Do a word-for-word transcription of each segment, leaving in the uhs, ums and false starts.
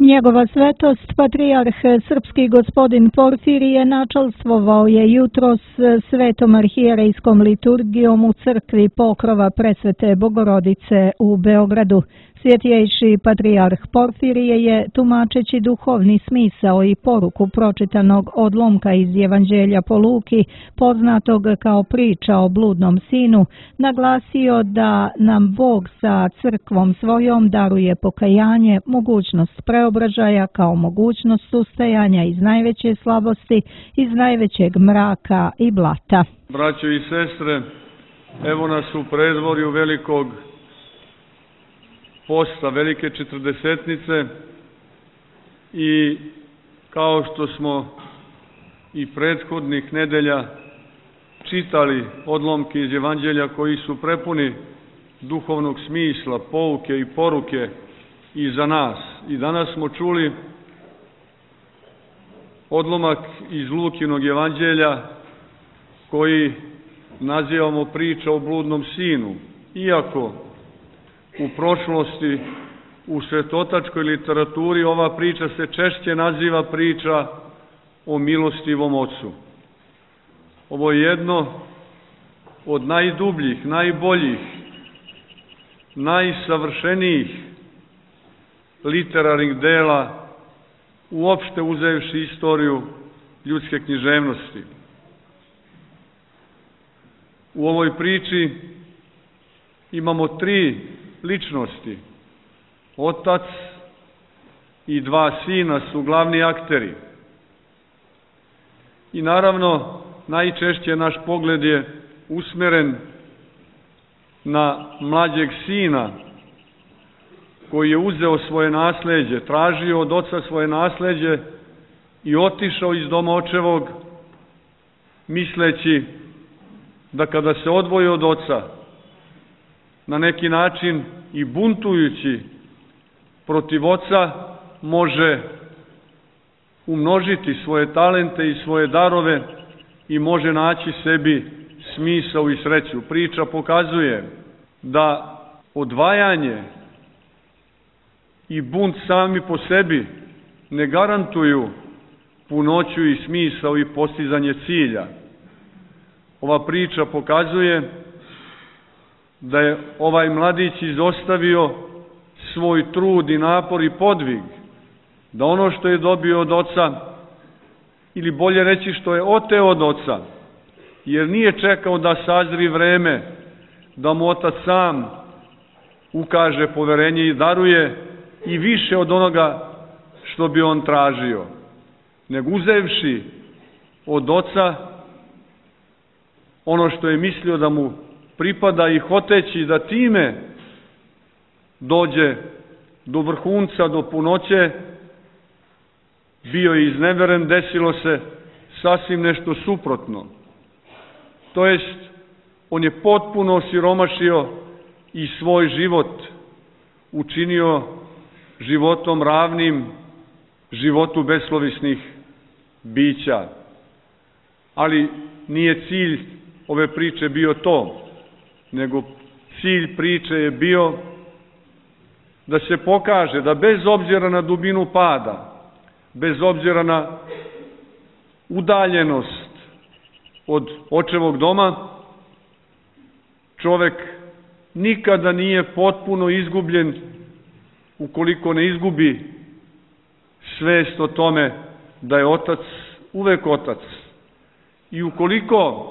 Njegova svetost, patrijarh srpski gospodin Porfirije, načalstvovao je jutros svetom arhijerejskom liturgijom u crkvi Pokrova Presvete Bogorodice u Beogradu. Svjetjejši patrijarh Porfirije je, tumačeći duhovni smisao i poruku pročitanog odlomka iz Evanđelja po Luki, poznatog kao priča o bludnom sinu, naglasio da nam Bog sa crkvom svojom daruje pokajanje, mogućnost preobražaja kao mogućnost ustajanja iz najveće slabosti, iz najvećeg mraka i blata. Braćo i sestre, evo nas u predvorju velikog posta, velike četrdesetnice, i kao što smo i prethodnih nedelja čitali odlomke iz Evanđelja koji su prepuni duhovnog smisla, pouke i poruke i za nas. I danas smo čuli odlomak iz Lukinog Evanđelja koji nazivamo priča o bludnom sinu, iako u prošlosti u svetotačkoj literaturi ova priča se češće naziva priča o milostivom ocu. Ovo je jedno od najdubljih, najboljih, najsavršenijih literarnih dela uopšte uzevši istoriju ljudske književnosti. U ovoj priči imamo tri ličnosti. Otac i dva sina su glavni akteri. I naravno, najčešće naš pogled je usmeren na mlađeg sina koji je uzeo svoje nasleđe, tražio od oca svoje nasleđe i otišao iz doma očevog, misleći da kada se odvoji od oca, na neki način i buntujući protiv oca, može umnožiti svoje talente i svoje darove i može naći sebi smisao i sreću. Priča pokazuje da odvajanje i bunt sami po sebi ne garantuju punoću i smisao i postizanje cilja. Ova priča pokazuje da je ovaj mladić izostavio svoj trud i napor i podvig, da ono što je dobio od oca, ili bolje reći što je oteo od oca, jer nije čekao da sazri vreme, da mu otac sam ukaže poverenje i daruje i više od onoga što bi on tražio, nego uzevši od oca ono što je mislio da mu pripada i hoteći da time dođe do vrhunca, do punoće, bio je izneveren, desilo se sasvim nešto suprotno. To jest, on je potpuno osiromašio i svoj život učinio životom ravnim životu beslovisnih bića. Ali nije cilj ove priče bio to, nego cilj priče je bio da se pokaže da bez obzira na dubinu pada, bez obzira na udaljenost od očevog doma, čovek nikada nije potpuno izgubljen ukoliko ne izgubi svest o tome da je otac uvek otac. I ukoliko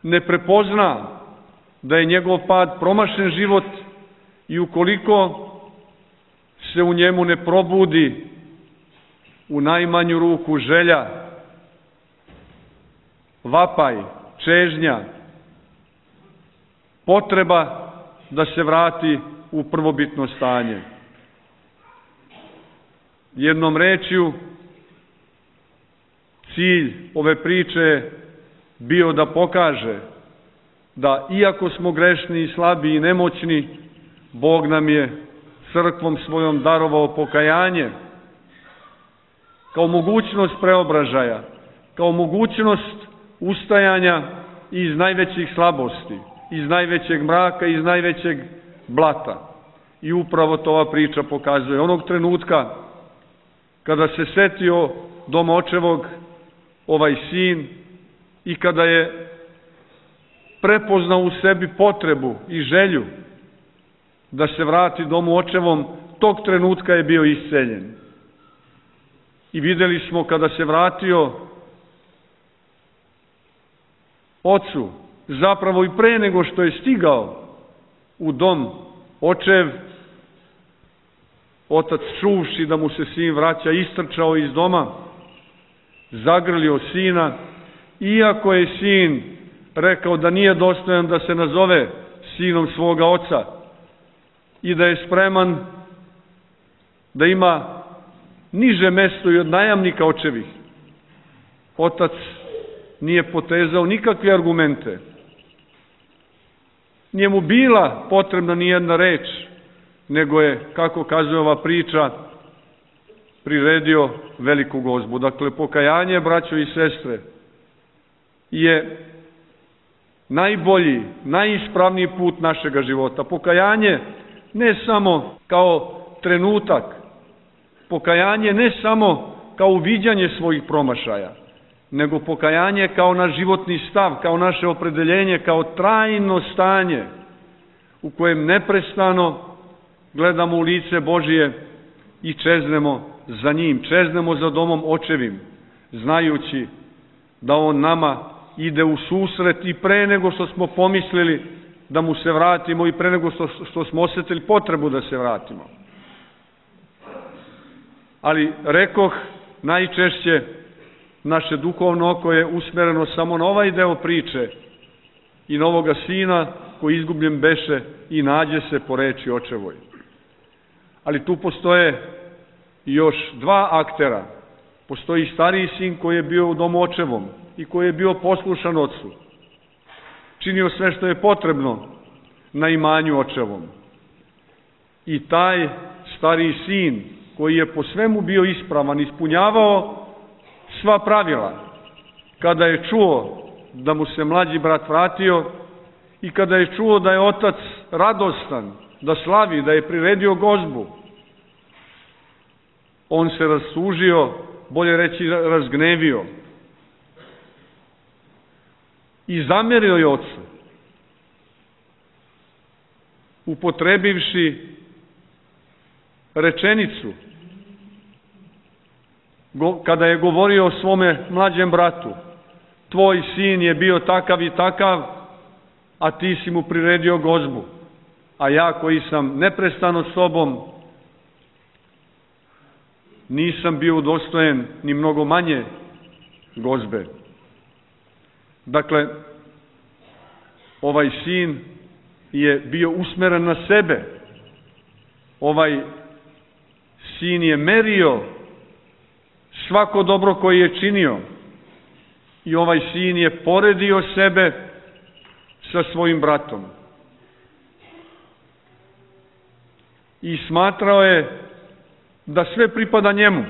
ne prepozna da je njegov pad promašen život i ukoliko se u njemu ne probudi u najmanju ruku želja, vapaj, čežnja, potreba da se vrati u prvobitno stanje. Jednom rečju, cilj ove priče je bio da pokaže da iako smo grešni i slabi i nemoćni, Bog nam je crkvom svojom darovao pokajanje kao mogućnost preobražaja, kao mogućnost ustajanja iz najvećih slabosti, iz najvećeg mraka, iz najvećeg blata. I upravo to ova priča pokazuje. Onog trenutka kada se setio doma očevog ovaj sin i kada je prepoznao u sebi potrebu i želju da se vrati domu očevom, tog trenutka je bio isceljen. I videli smo kada se vratio ocu, zapravo i pre nego što je stigao u dom očev, otac čuvši da mu se sin vraća, istrčao iz doma, zagrlio sina, iako je sin rekao da nije dostojan da se nazove sinom svoga oca i da je spreman da ima niže mesto i od najamnika očevih. Otac nije potezao nikakve argumente. Nije mu bila potrebna ni jedna reč, nego je, kako kazuje ova priča, priredio veliku gozbu. Dakle, pokajanje, braćo i sestre, je najbolji, najispravniji put našega života. Pokajanje ne samo kao trenutak, pokajanje ne samo kao uviđanje svojih promašaja, nego pokajanje kao naš životni stav, kao naše opredeljenje, kao trajno stanje u kojem neprestano gledamo u lice Božije i čeznemo za njim, čeznemo za domom očevim, znajući da on nama ide u susret i pre nego što smo pomislili da mu se vratimo i pre nego što, što smo osjetili potrebu da se vratimo. Ali, rekoh, najčešće naše duhovno oko je usmereno samo na ovaj deo priče i na ovoga sina koji izgubljen beše i nađe se po reči očevoj. Ali tu postoje još dva aktera. Postoji stariji sin koji je bio u domu očevom i koji je bio poslušan ocu. Činio sve što je potrebno na imanju očevom. I taj stariji sin koji je po svemu bio ispravan, ispunjavao sva pravila, kada je čuo da mu se mlađi brat vratio i kada je čuo da je otac radostan, da slavi, da je priredio gozbu, on se rastužio, bolje reći razgnevio i zamerio je ocu, upotrebivši rečenicu kada je govorio o svome mlađem bratu: tvoj sin je bio takav i takav, a ti si mu priredio gozbu, a ja koji sam neprestano s tobom nisam bio udostojen ni mnogo manje gozbe. Dakle, ovaj sin je bio usmeren na sebe. Ovaj sin je merio svako dobro koje je činio i ovaj sin je poredio sebe sa svojim bratom. I smatrao je da sve pripada njemu.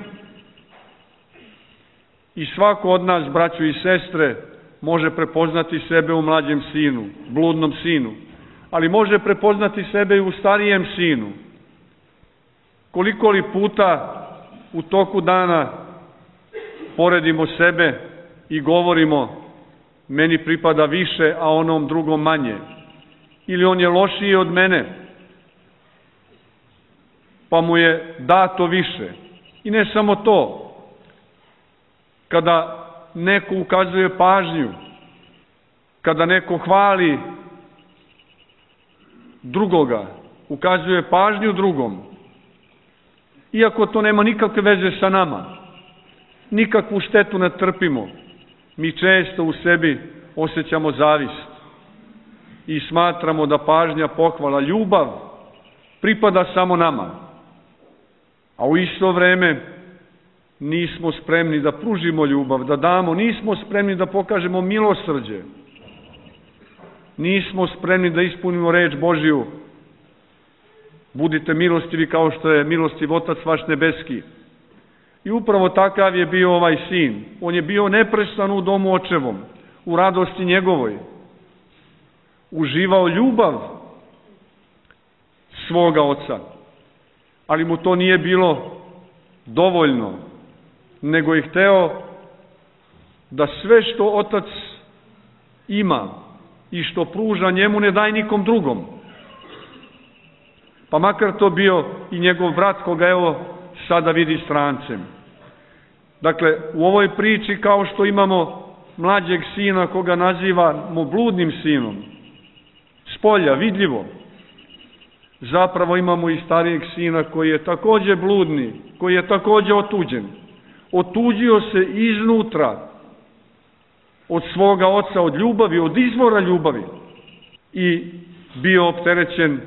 I svako od nas, braćo i sestre, može prepoznati sebe u mlađem sinu, bludnom sinu, ali može prepoznati sebe i u starijem sinu. Koliko li puta u toku dana poredimo sebe i govorimo: meni pripada više, a onom drugom manje. Ili on je lošiji od mene, pa mu je dato više. I ne samo to. Kada neko ukazuje pažnju, kada neko hvali drugoga, ukazuje pažnju drugom, iako to nema nikakve veze sa nama, nikakvu štetu ne trpimo, mi često u sebi osjećamo zavist i smatramo da pažnja, pohvala, ljubav pripada samo nama, a u isto vreme nismo spremni da pružimo ljubav, da damo, nismo spremni da pokažemo milosrđe, nismo spremni da ispunimo reč Božiju: budite milostivi kao što je milostiv Otac vaš nebeski. I upravo takav je bio ovaj sin. On je bio neprestano u domu očevom, u radosti njegovoj. Uživao ljubav svoga oca. Ali mu to nije bilo dovoljno, nego je hteo da sve što otac ima i što pruža njemu ne daj nikom drugom. Pa makar to bio i njegov brat koga evo sada vidi strancem. Dakle, u ovoj priči kao što imamo mlađeg sina koga nazivamo bludnim sinom, spolja, vidljivo, zapravo imamo i starijeg sina koji je takođe bludni, koji je takođe otuđen. Otuđio se iznutra od svoga oca, od ljubavi, od izvora ljubavi i bio opterećen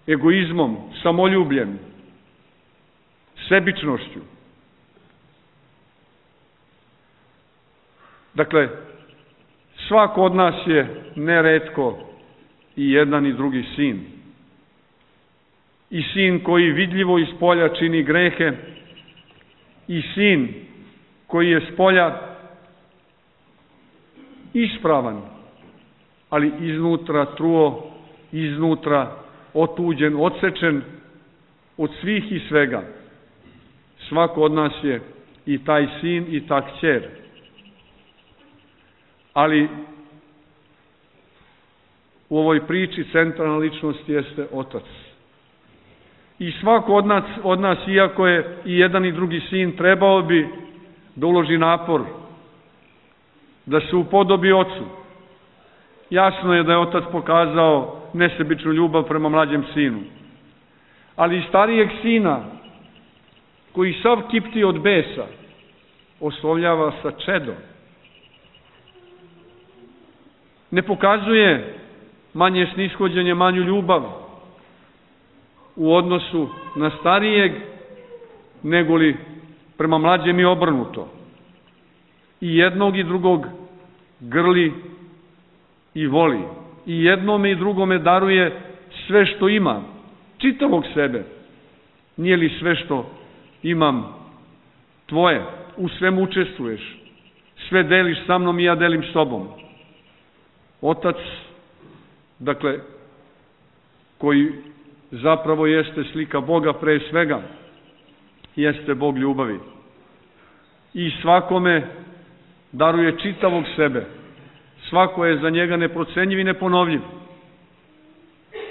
egoizmom, samoljubljem, sebičnošću. Dakle, svako od nas je neretko i jedan i drugi sin. I sin koji vidljivo iz polja čini grehe, i sin koji je s polja ispravan, ali iznutra truo, iznutra otuđen, odsečen od svih i svega. Svako od nas je i taj sin i ta kćer. Ali u ovoj priči centralna ličnost jeste otac. I svako od nas, od nas, iako je i jedan i drugi sin, trebao bi da uloži napor, da se upodobi ocu. Jasno je da je otac pokazao nesebičnu ljubav prema mlađem sinu. Ali i starijeg sina, koji sav kipti od besa, oslovljava sa čedom. Ne pokazuje manje snishođenje, manju ljubav u odnosu na starijeg, nego li prema mlađem i obrnuto. I jednog i drugog grli i voli. I jednome i drugome daruje sve što ima, čitavog sebe. Nije li sve što imam tvoje, u svemu učestvuješ, sve deliš sa mnom i ja delim s tobom. Otac, dakle, koji zapravo jeste slika Boga pre svega, jeste Bog ljubavi. I svakome daruje čitavog sebe. Svako je za njega neprocenjiv i neponovljiv.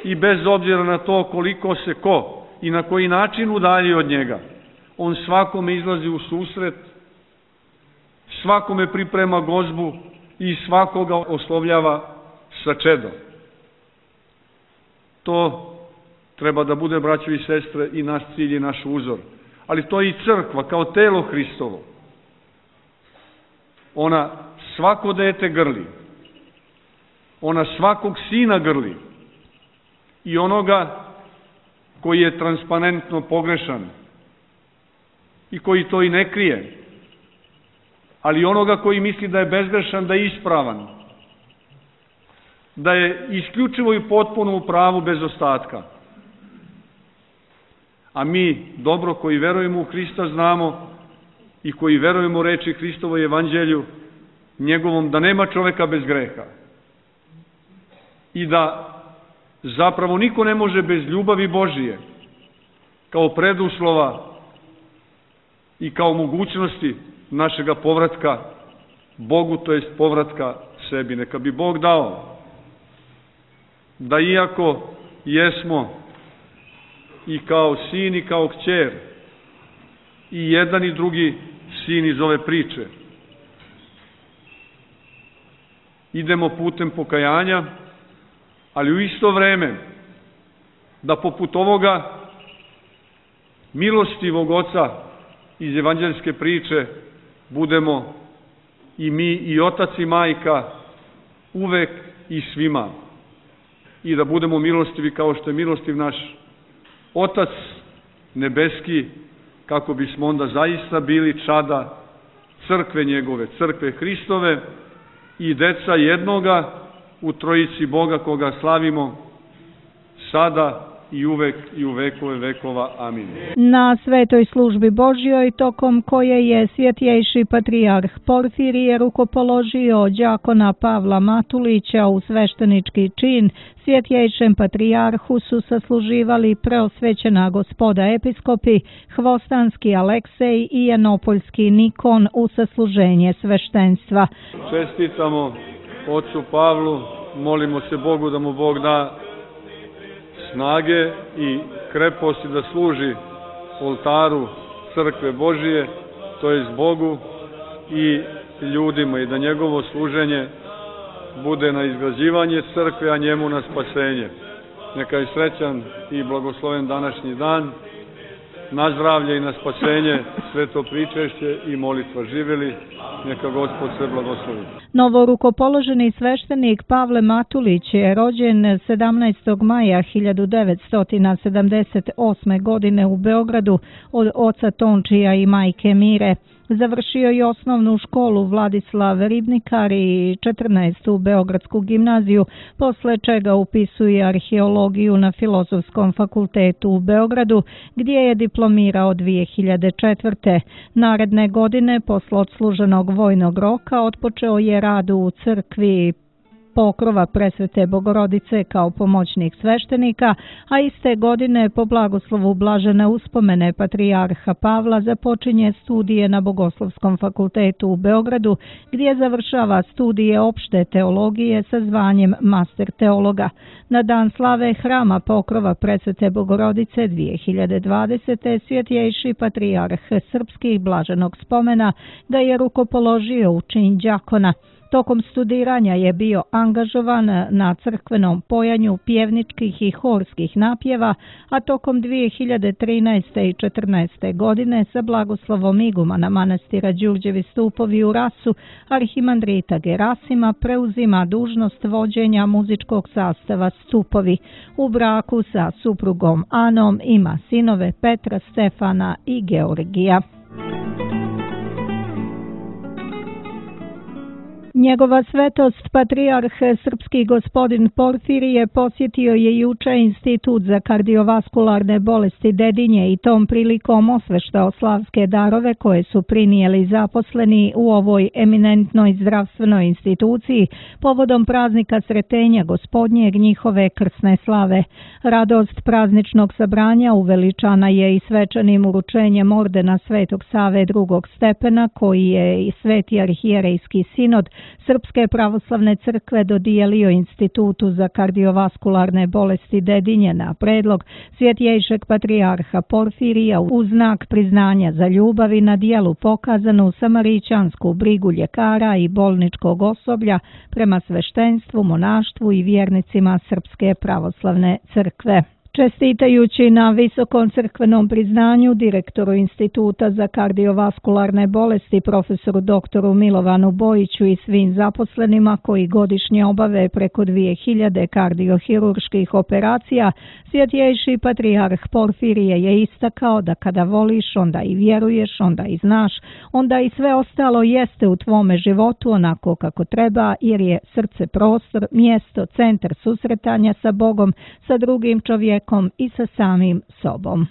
I bez obzira na to koliko se ko i na koji način udalji od njega, on svakome izlazi u susret, svakome priprema gozbu i svakoga oslovljava sa čedom. To treba da bude, braćo i sestre, i naš cilj i naš uzor. Ali to je i crkva, kao telo Hristovo. Ona svako dete grli. Ona svakog sina grli. I onoga koji je transparentno pogrešan i koji to i ne krije. Ali onoga koji misli da je bezgrešan, da je ispravan, da je isključivo i potpuno u pravu bez ostatka. A mi, dobro, koji verujemo u Hrista, znamo i koji verujemo u reči Hristovoj evanđelju, njegovom, da nema čoveka bez greha. I da zapravo niko ne može bez ljubavi Božije, kao preduslova i kao mogućnosti našega povratka Bogu, to jest povratka sebi. Neka bi Bog dao da iako jesmo i kao sin i kao kćer, i jedan i drugi sin iz ove priče, idemo putem pokajanja, ali u isto vreme da poput ovoga milostivog oca iz evanđeljske priče budemo i mi i otac i majka uvek i svima. I da budemo milostivi kao što je milostiv naš Otac nebeski, kako bismo onda zaista bili čada crkve njegove, crkve Hristove i deca jednoga u trojici Boga koga slavimo sada i uvek i u vekove vekova. Amin. Na svetoj službi Božjoj, tokom koje je svjetjejši patrijarh Porfirije rukopoložio đakona Pavla Matulića u sveštenički čin, svjetjejšem patrijarhu su sasluživali preosvećena gospoda episkopi, Hvostanski Aleksej i Janopoljski Nikon u sasluženje sveštenstva. Čestitamo ocu Pavlu, molimo se Bogu da mu Bog da snage i kreposti da služi oltaru crkve Božije, to jest Bogu i ljudima, i da njegovo služenje bude na izgrađivanje crkve, a njemu na spasenje. Neka je srećan i blagosloven današnji dan, na zdravlje i na spasenje, sveto pričešće i molitva. Živjeli, neka Gospod sve blagoslovi. Novorukopoloženi sveštenik Pavle Matulić je rođen sedamnaestog maja hiljadu devetsto sedamdeset osme. godine u Beogradu od oca Tončija i majke Mire. Završio je osnovnu školu Vladislav Ribnikar i četrnaestu Beogradsku gimnaziju, posle čega upisuje arheologiju na Filozofskom fakultetu u Beogradu, gdje je diplomirao dvije hiljade četvrte. Naredne godine, posle odsluženog vojnog roka, otpočeo je rad u crkvi Pokrova Presvete Bogorodice kao pomoćnik sveštenika, a iste godine po blagoslovu blažene uspomene patrijarha Pavla započinje studije na Bogoslovskom fakultetu u Beogradu, gdje završava studije opšte teologije sa zvanjem master teologa. Na dan slave Hrama Pokrova Presvete Bogorodice dvije hiljade dvadesete. svjetjejši patrijarh srpskih blaženog spomena ga je rukopoložio u čin đakona. Tokom studiranja je bio angažovan na crkvenom pojanju pjevničkih i horskih napjeva, a tokom dvije hiljade trinaeste. i četrnaeste. godine sa blagoslovom igumana manastira Đurđevi stupovi u Rasu, arhimandrita Gerasima, preuzima dužnost vođenja muzičkog sastava Stupovi. U braku sa suprugom Anom ima sinove Petra, Stefana i Georgija. Njegova svetost patrijarh srpski gospodin Porfirije posjetio je juče Institut za kardiovaskularne bolesti Dedinje i tom prilikom osveštao slavske darove koje su prinijeli zaposleni u ovoj eminentnoj zdravstvenoj instituciji povodom praznika Sretenja Gospodnjeg, njihove krsne slave. Radost prazničnog sabranja uveličana je i svečanim uručenjem ordena Svetog Save drugog stepena, koji je i Sveti arhijerejski sinod Srpske pravoslavne crkve dodijelio Institutu za kardiovaskularne bolesti Dedinje na predlog svjetjejšeg patrijarha Porfirija u znak priznanja za ljubav i na dijelu pokazanu samarićansku brigu ljekara i bolničkog osoblja prema sveštenstvu, monaštvu i vjernicima Srpske pravoslavne crkve. Čestitajući na visokom crkvenom priznanju direktoru Instituta za kardiovaskularne bolesti profesoru doktoru Milovanu Bojiću i svim zaposlenima koji godišnje obave preko dvije hiljade kardiohirurških operacija, svjetjejši patrijarh Porfirije je istakao da kada voliš, onda i vjeruješ, onda i znaš, onda i sve ostalo jeste u tvome životu onako kako treba, jer je srce prostor, mjesto, centar susretanja sa Bogom, sa drugim čovjekom i sa samim sobom.